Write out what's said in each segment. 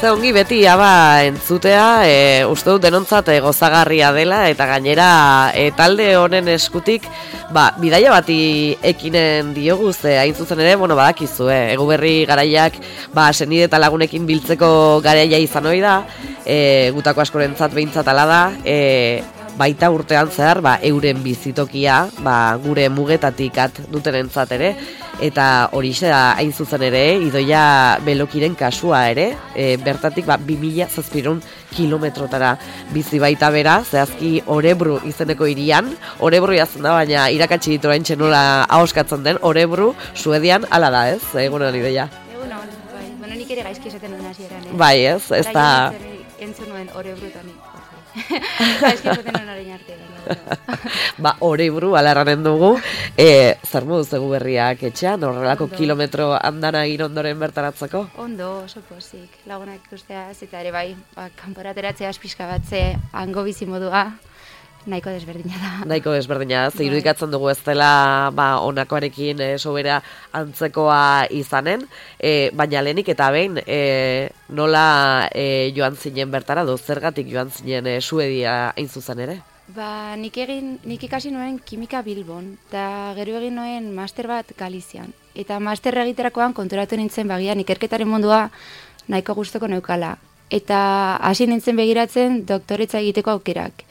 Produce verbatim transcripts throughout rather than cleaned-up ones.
ze ongi beti aba entzutea, e, uste dut denontzat e, gozagarria dela, eta gainera e, talde honen eskutik, ba, bidaia bati ekinen diogu, ze hain zuzen ere, bueno, badakizu, eh, Eguberri garaiak, ba, senide eta lagunekin biltzeko garaia izan hori da, e, gutako askorentzat behintzat ala da, e, baita urtean zehar, ba, euren bizitokia, ba, gure mugetatik at dutenentzat ere, eta horixe da hain zuzen ere, Idoia Belokiren kasua ere, e, bertatik ba, bi mila zazpiehun kilometrotara bizi baita bera, zehazki Orebru izeneko hirian, Orebru jazten da, baina irakatsi ditu hain txenola ahoskatzen den, Orebru, Suedian, ala da ez, egunon Idoia? Egunon, bai, bueno, nik ere gaizki esaten duen hasieran, eh? Bai ez, ez da... Entzun nuen Orebrutan, gaizki esaten duen orain arte. Ba, Orebru alarranen dugu, e, zer moduz Eguberriak etxean, horrelako Ondo. Kilometro andana egin ondoren bertaratzeko? Ondo, oso pozik, lagunak ikusteaz, eta ere bai, ba, kanporateratzea pixka batze, hango bizi modua, nahiko desberdina da. Nahiko desberdina da, ze irudikatzen dugu ez dela ba, onakoarekin e, sobera antzekoa izanen, e, baina lehenik eta behin e, nola e, joan zinen bertara, do zergatik joan zinen e, Suedia hain zuzen ere? Ba, nik egin, nik ikasi nuen kimika Bilbon, eta gero egin nuen master bat Galizian. Eta master egiterakoan konturatu nintzen bagian ikerketaren mundua nahiko gustoko neukala. Eta hasi nintzen begiratzen doktoretza egiteko aukerak.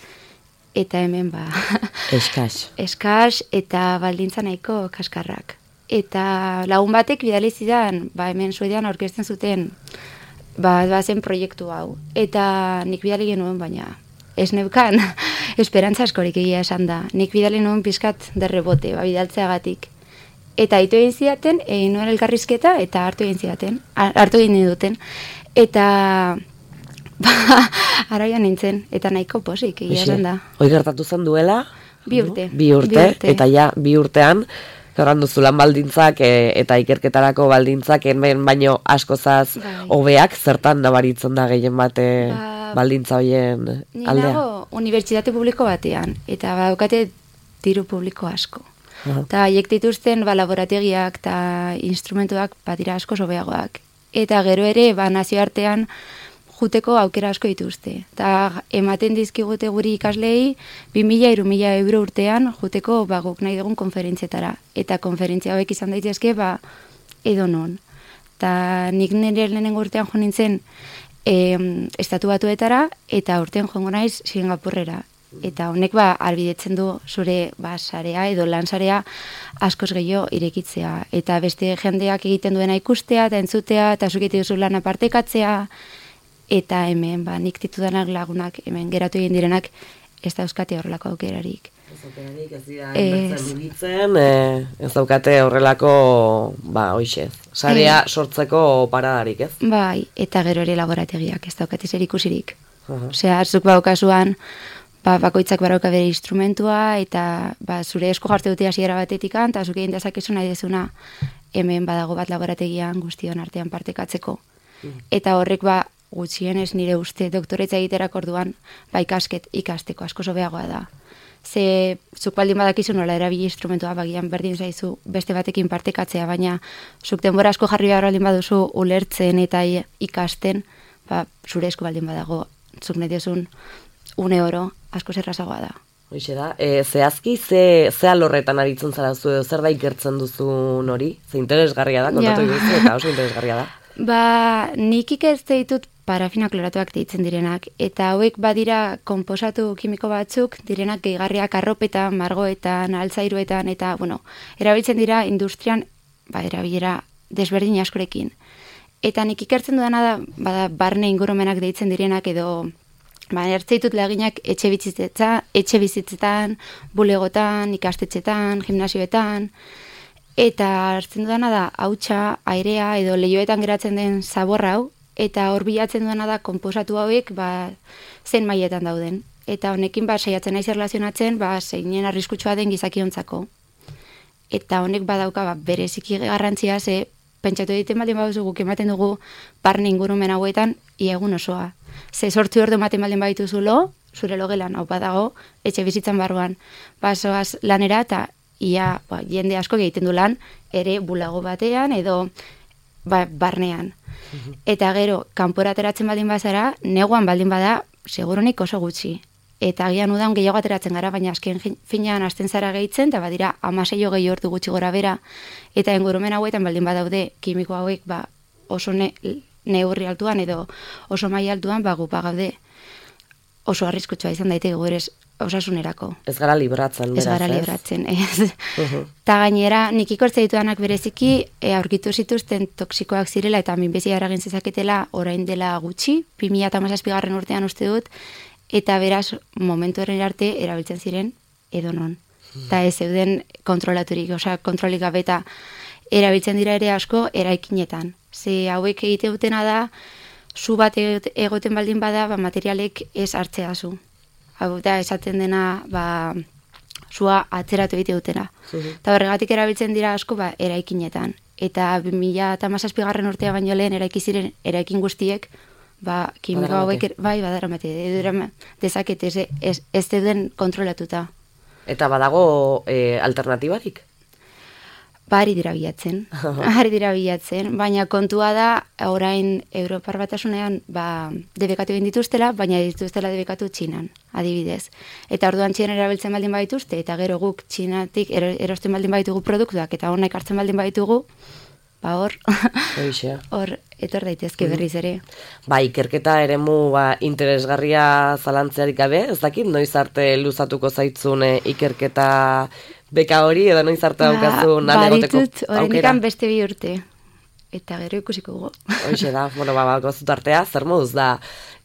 Eta hemen ba... Eskas. Eskas eta baldintza nahiko kaskarrak. Eta lagun batek bidali zidan, ba hemen Suedian aurkezten zuten ba, bazen proiektu hau. Eta nik bidali genuen baina ez neukan esperantza askorik egia esan da. Nik bidali nuen pizkat derrebote, ba, bidaltzeagatik. Eta aitu egin zidaten, egin nuen elkarrizketa, eta hartu egin zidaten, hartu egin duten. Eta... Ba, araia nintzen, eta nahiko posik, egia esan da. Hoi gertatu zen duela? Bi urte. Bi urte, bi urte. Eta ja, bi urtean, gerran duzu lan baldintzak e, eta ikerketarako baldintzak hemen baino askozaz hobeak, zertan nabaritzen da gehien bate ba, baldintza hoien aldea? Ni nago unibertsitate publiko batean, eta baukate diru publiko asko. Eta haiek dituzten ba, laborategiak eta instrumentuak badira asko hobeagoak. Eta gero ere, ba, nazioartean, juteko aukera asko dituzte. Eta ematen dizkigute guri ikaslei bi mila hiru mila euro urtean juteko ba, guk nahi dugun konferentzietara. Eta konferentzia hauek izan daitezke ba, edo non. Eta nik nire lehenengo urtean jo nintzen e, estatu batuetara eta urtean joango naiz Singapurrera. Eta honek ba, albidetzen du zure ba, sarea edo lan sarea askoz gehiago irekitzea. Eta beste jendeak egiten duena ikustea eta entzutea eta zuk egiten duzu lana partekatzea. Eta hemen, ba, nik ditudanak lagunak, hemen geratu egin direnak, ez dauzkate horrelako aukerarik. Ez aukerarik, ez dira, inbertzen mugitzen, ez daukate horrelako, ba, hoxe, sarea sortzeko paradarik, ez? Bai, eta gero ere laborategiak, ez daukate zer ikusirik. Osea, zuk baukasuan, ba, bakoitzak barauka bere instrumentua, eta ba, zure esko jarte dute hasiera batetikan, eta zuk egin dezakezu nahi dezuna, hemen badago bat laborategian guztion artean partekatzeko. Eta horrek, ba, gutxienez nire uste doktoretza egiterak orduan ba ikasket ikasteko asko hobeagoa da. Ze zuk baldin badakizu nola erabili instrumentua bagian berdin zaizu beste batekin partekatzea, baina zuk denbora asko jarri behar baldin baduzu ulertzen eta ikasten, ba zure esku baldin badago zuk nahi diozun une oro asko errazagoa da. Hoxe da, e, zehazki, ze, ze alorretan aritzen zara zu edo zer da ikertzen duzun hori? Ze interesgarria da, kontatu ja. Iguzu, eta oso interesgarria da. Ba, nik ikertze ditut parafina kloratuak deitzen direnak, eta hauek badira konposatu kimiko batzuk, direnak gehigarriak arropetan, margoetan, altzairuetan, eta, bueno, erabiltzen dira industrian, ba, erabilera desberdin askorekin. Eta nik ikertzen dudana da, bada, barne ingurumenak deitzen direnak, edo, ba, ertzeitut laginak etxe bizitzetan, etxe bizitzetan, bulegotan, ikastetxetan, gimnasioetan, eta hartzen dudana da, hautsa, airea, edo lehioetan geratzen den zaborra hau, eta hor bilatzen duena da konposatu hauek ba, zen mailetan dauden. Eta honekin ba, saiatzen naiz erlazionatzen ba, zeinen arriskutsua den gizakiontzako. Eta honek badauka ba, bereziki garrantzia, ze pentsatu egiten baldin baduzu guk ematen dugu barne ingurumen hauetan ia egun osoa. Ze sortzi ordu ematen baldin badituzu lo, zure logelan hau badago, etxe bizitzan barruan. Ba, zoaz lanera eta ia ba, jende asko egiten du lan, ere bulago batean edo ba, barnean. Eta gero, kanpora ateratzen baldin bazara, neguan baldin bada, segurunik oso gutxi. Eta agian udan gehiago ateratzen gara, baina azken finean hasten zara gehitzen, eta badira amaseio gehi ordu gutxi gora bera, eta ingurumen hauetan baldin badaude kimiko hauek ba, oso ne, neurri altuan edo oso maila altuan, ba, gupa gaude oso arriskutsua izan daiteke gure osasunerako. Ez gara libratzen, beraz, ez? gara libratzen, ez. Ta gainera, nik ikortze ditudanak bereziki, e, aurkitu zituzten toksikoak zirela, eta minbezia eragin zezaketela orain dela gutxi, bi mila hamazazpigarren urtean uste dut, eta beraz, momentu horren arte, erabiltzen ziren edonon. Eta ez zeuden kontrolaturik, osea, kontrolik gabe eta erabiltzen dira ere asko eraikinetan. Ze hauek egite dutena da, zu bat egoten baldin bada, ba, materialek ez hartzea zu. Hau da, esaten dena, ba, zua atzeratu egite dutena. Eta horregatik erabiltzen dira asko, ba, eraikinetan. Eta bi mila hamazazpigarren urtea baino lehen eraiki ziren eraikin guztiek, ba, kimiko hauek, bai, badaramate, dezakete, ez, ez, ez den kontrolatuta. Eta badago e, alternatibarik? Ba, ari dira bilatzen, ari dira bilatzen, baina kontua da, orain Europar Batasunean, ba, debekatu egin dituztela, baina dituztela debekatu Txinan, adibidez. Eta orduan Txinan erabiltzen baldin badituzte, eta gero guk Txinatik erosten baldin baditugu produktuak, eta honek hartzen baldin baditugu, ba hor, hor, etor daitezke berriz ere. Ba, ikerketa eremu ba, interesgarria zalantzearik gabe, ez dakit, noiz arte luzatuko zaitzun ikerketa beka hori, edo noiz arte daukazun ba, alegoteko aukera? Ba, horrendikan beste bi urte, eta gero ikusiko gu. Hoxe da, bueno, ba, gozut artea, zer moduz da,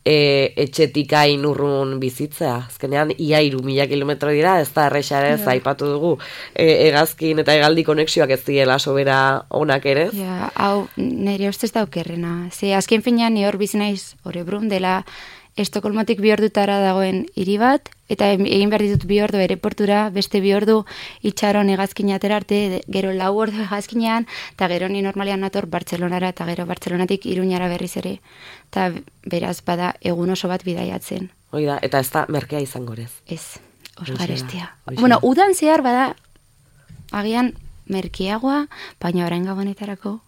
e, etxetik hain urrun bizitzea. Azkenean, ia iru mila kilometro dira, ez da errexarez, ja. Aipatu dugu, e, egazkin eta hegaldi konexioak ez diela sobera onak ere. Ja, hau, nire ustez daukerrena. Ze, azken finean, ni hor bizi naiz, Orebrun dela, Estokolmotik bi ordutara dagoen hiri bat, eta egin behar ditut bi ordu aireportura, beste bi ordu itxaron hegazkin atera arte, gero lau ordu hegazkinean, eta gero ni normalean nator Bartzelonara, eta gero Bartzelonatik Iruñara berriz ere. Eta beraz bada egun oso bat bidaiatzen. Hoi da, eta ez da merkea izango ez? Ez, oso garestia. Bueno, udan zehar bada, agian merkeagoa, baina orain gabonetarako,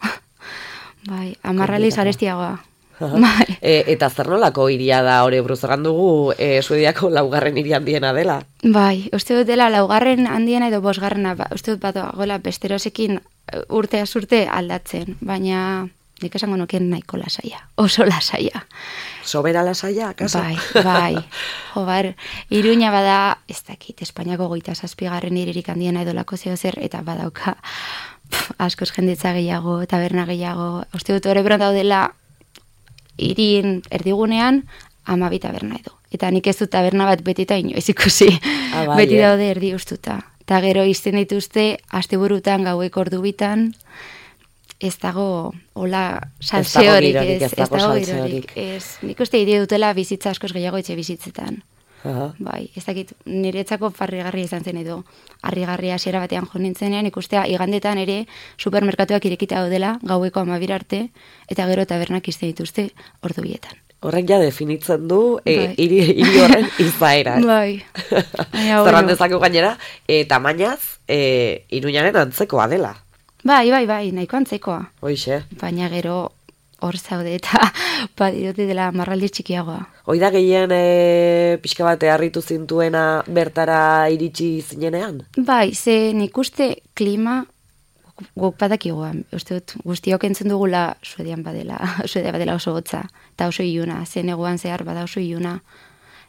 bai, amarraliz garestiagoa. e, eta zer nolako iria da Orebruz, egan dugu e, Suediako laugarren hiri handiena dela? Bai, uste dut dela laugarren handiena edo bosgarrena, ba, uste dut bat gola besterosekin urtea urte aldatzen, baina nik esango nukien nahiko lasaia, oso lasaia. Sobera lasaia, kaso? Bai, bai, jo bar, Iruña bada, ez dakit, Espainiako goita zazpigarren hiririk handiena edo lako zeo zer, eta badauka pff, askoz jenditza gehiago, taberna gehiago, uste dut Orebron daudela hirien erdigunean hamabi taberna edo. Eta nik ez dut taberna bat betita inoiz ikusi. Ah, bai, beti daude erdi ustuta. Eta gero izten dituzte, asteburutan gaueko ordu bitan, ez dago hola salseorik. Ez dago girorik. Nik uste idea dutela bizitza askoz gehiago etxe bizitzetan. Aha. Bai, ez dakit, niretzako farrigarria izan zen edo, harrigarria hasiera batean jo nintzenean, ikustea igandetan ere supermerkatuak irekita daudela, gaueko amabir arte, eta gero tabernak izte dituzte ordu bietan. Horrek ja definitzen du, e, iri, iri horren izaera. Bai. Zerran dezako gainera, e, tamainaz, e, Iruñaren antzekoa dela. Bai, bai, bai, nahiko antzekoa. Hoixe. Baina gero hor zaude eta badirote dela marraldi txikiagoa. Hoi da gehien e, pixka bate harritu zintuena bertara iritsi zinenean? Bai, ze nik uste klima guk badakigua. Uste dut guztiok entzun dugula Suedian badela, Suedia badela oso hotza, eta oso iluna, ze neguan zehar bada oso iluna.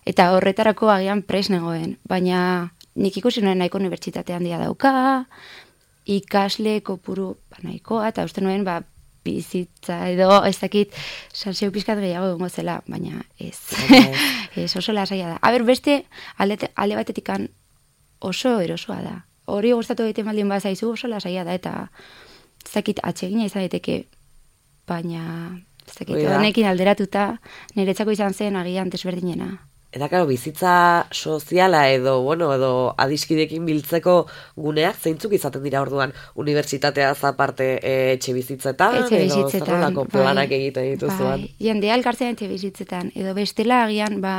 Eta horretarako agian pres negoen, baina nik ikusi nuen nahiko unibertsitate handia dauka, ikasle kopuru ba, nahikoa, eta uste nuen ba, bizitza edo ez dakit salseo pizkat gehiago egongo zela, baina ez. Okay. Ez oso lasaia da. A ber, beste alde, alde batetikan oso erosoa da. Hori gustatu egiten baldin bazaizu oso lasaia da, eta ez dakit atsegina izan daiteke, baina ez dakit honekin alderatuta niretzako izan zen agian desberdinena. Eta, karo, bizitza soziala edo, bueno, edo adiskidekin biltzeko guneak zeintzuk izaten dira orduan unibertsitatea aparte e, etxe bizitzetan, etxe bizitzetan, edo zerrelako planak bai, egiten dituzuan. Bai, jendea elkartzen etxe bizitzetan, edo bestela agian, ba,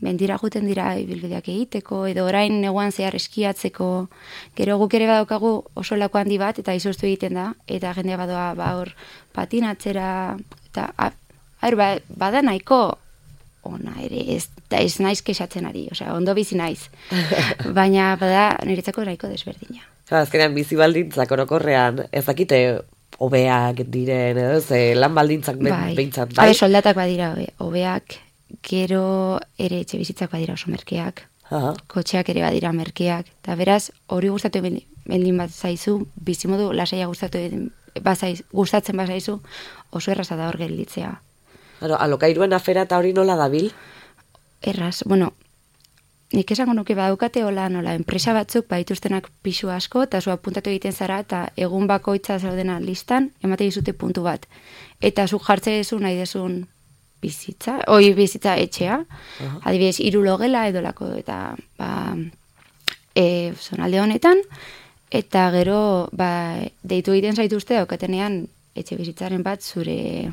mendira juten dira ibilbideak egiteko, edo orain neguan zehar eskiatzeko, gero guk ere badaukagu oso lako handi bat, eta izoztu egiten da, eta jendea badoa ba hor patinatzera, eta aher, ba, bada nahiko ona ere, ez, da ez naiz kexatzen ari, osea, ondo bizi naiz, baina bada niretzako nahiko desberdina. Azkenean bizi baldintzak orokorrean, ez dakite hobeak diren, edo, ze lan baldintzak bai. behintzat, bai? Habe, soldatak badira hobeak, gero ere etxe bizitzak badira oso merkeak, Aha. kotxeak ere badira merkeak, eta beraz, hori gustatu bendin bat zaizu, bizimodu lasaia gustatu bazaiz, gustatzen bazaizu, oso erraza da hor gelditzea. Claro, alokairuen afera eta hori nola dabil? Erraz, bueno, nik esango nuke badaukate hola nola, enpresa batzuk baituztenak pisu asko, eta zu apuntatu egiten zara, eta egun bakoitza zaudena listan, emate dizute puntu bat. Eta zu jartze dezu nahi desun bizitza, oi bizitza etxea, uh-huh. adibidez, hiru logela edolako, eta ba, e, zonalde honetan, eta gero ba, deitu egiten zaituzte, daukatenean etxe bizitzaren bat zure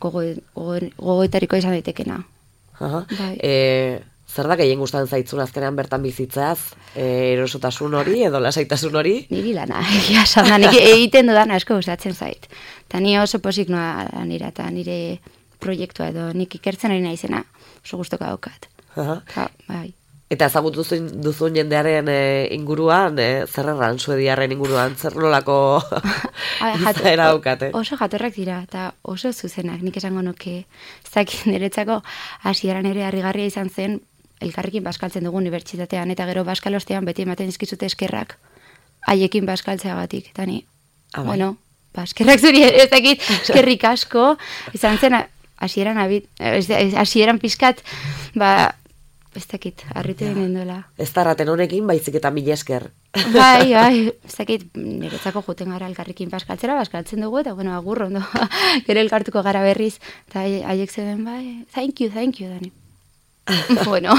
gogoetariko izan daitekena. Uh-huh. Bai. E, zer da gehien gustatzen zaitzun azkenean bertan bizitzaz? E, erosotasun hori edo lasaitasun hori? Niri lana, egia esan da, nik egiten dudan asko gustatzen zait. Ta ni oso pozik noa nira, eta nire proiektua edo nik ikertzen ari naizena oso gustuko daukat. Uh-huh. Ta, bai. Eta ezagutu duzun jendearen e, inguruan, e, zer erran suediarren inguruan, zer nolako izaera daukate? Oso jatorrak dira, eta oso zuzenak, nik esango nuke, zakin niretzako hasieran ere harrigarria izan zen, elkarrekin baskaltzen dugu unibertsitatean, eta gero baskalostean beti ematen dizkizute eskerrak, haiekin baskaltzeagatik, eta ni, ah, bueno, baskerrak zuri ez dakit, eskerrik asko, izan zen hasieran hasieran pizkat, ba, ez dakit, harritu ja. Den duela. Ez tarraten honekin, baizik eta mila esker. Bai, bai, ez dakit, niretzako juten gara elkarrekin baskaltzera, baskaltzen dugu, eta bueno, agur, ondo, gero elkartuko gara berriz, eta haiek zeden, bai, thank you, thank you, Dani. Bueno.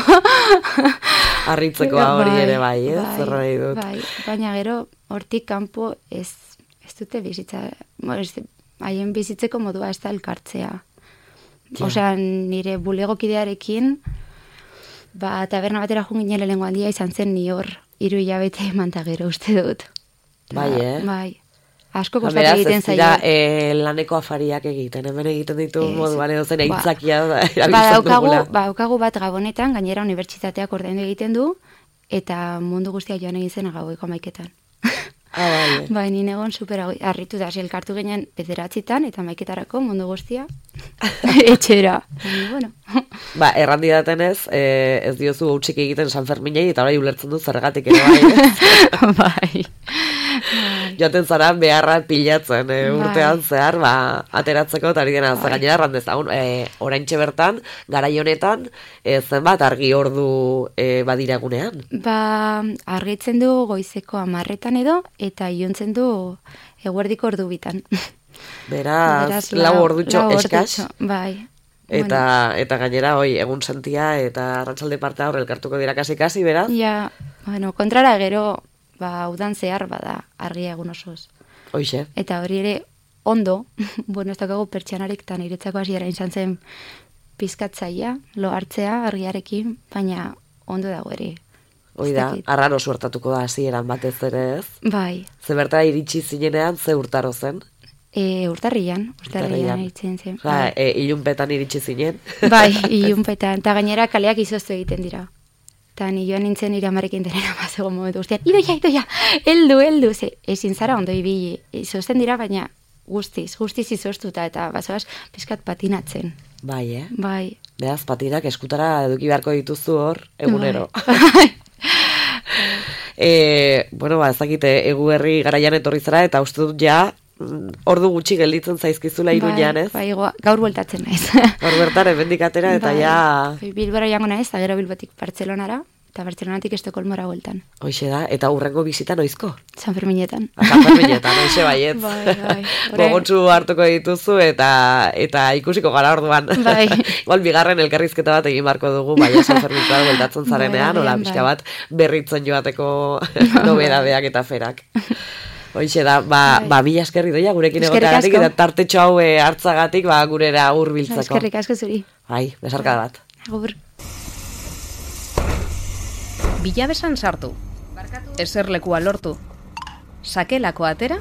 Arritzeko hori ere bai, ez? Bai, Zer nahi dut. Bai, baina gero, hortik kanpo ez, ez dute bizitza, haien bizitzeko modua ez da elkartzea. Ja. Osea, nire bulegokidearekin, ba, taberna batera jungin lehenengo handia izan zen ni hor, hiru hilabete manta gero uste dut. Bai, eh? Bai. Asko kostatu egiten zaio. Beraz, ez dira e, laneko afariak egiten, hemen egiten ditu moduan edo zen aitzakia ba, erabiltzen dugula. Ba, daukagu bat Gabonetan, gainera unibertsitateak ordaindu egiten du, eta mundu guztia joan egin zen gaueko hamaiketan. Ah, bai. Bai, ni negon super harritu da, elkartu ginen bederatzitan, eta maiketarako mundu guztia etxera. Baina, bueno. Ba, errandi datenez, eh, ez diozu hautsik egiten San Ferminei, eta orai ulertzen du zergatik ere bai. Bai. Joaten zara beharra pilatzen, eh, urtean zehar, ba, ateratzeko, eta hori dena, bai. Gainera errandezagun, eh, oraintxe bertan, garai honetan, eh, zenbat argi ordu eh, badiragunean? Ba, argitzen du goizeko amarretan edo, eta iontzen du eguerdiko ordu bitan. Beraz, Beraz lau ordutxo eskas. Bai. Eta, bueno. Eta gainera, oi, egun sentia eta arratsalde partea hor elkartuko dira kasi-kasi, beraz? Ja, bueno, kontrara gero, ba, udan zehar bada argia egun osoz. Hoixe. Eta hori ere, ondo, bueno, ez daukagu pertsianarik, eta niretzako hasiera izan zen pizkatzaia, lo hartzea argiarekin, baina ondo dago ere. Hoi da, arraro suertatuko da hasieran batez ere, ez? Bai. Ze bertara iritsi zinenean, ze urtaro zen? E, urtarrian, urtarrian iritzen zen. Ja, e, ilunpetan iritsi zinen. Bai, ilunpetan, eta gainera kaleak izoztu egiten dira. Eta ni joan nintzen nire amarekin denera mazego momentu guztian, idoia, idoia, eldu, eldu, ze, ezin zara ondo ibili, izozten dira, baina guztiz, guztiz izoztuta, eta bazoaz, pizkat patinatzen. Bai, eh? Bai. Beraz, patinak eskutara eduki beharko dituzu hor, egunero. Bai. e, bueno, ba, ezakite, egu herri garaian etorri zara, eta uste dut ja, ordu gutxi gelditzen zaizkizula Iruñan, ez? Bai, bai, gaur bueltatzen naiz. Gaur bertan, hemendik atera, eta bai, ja... Bilbora jango naiz, eta gero Bilbotik Bartzelonara, eta Bartzelonatik Estokolmora bueltan. Hoxe da, eta hurrengo bizita noizko? San Ferminetan. San Ferminetan, hoxe baietz. Bai, bai. Gogotsu hartuko dituzu, eta eta ikusiko gara orduan. Bai. Igual, bigarren elkarrizketa bat egin barko dugu, bai, San Ferminetan bueltatzen zarenean, hola, bai, pixka bat, berritzen joateko nobedadeak eta ferak. Hoixe da, ba, bai. ba mila eskerri doia gurekin egoteagatik, eta tartetxo hau hartzagatik, ba, gurera hurbiltzeko. Eskerrik asko zuri. Bai, besarka bat. Agur. Bilabesan sartu. Eserlekua lortu. Sakelako atera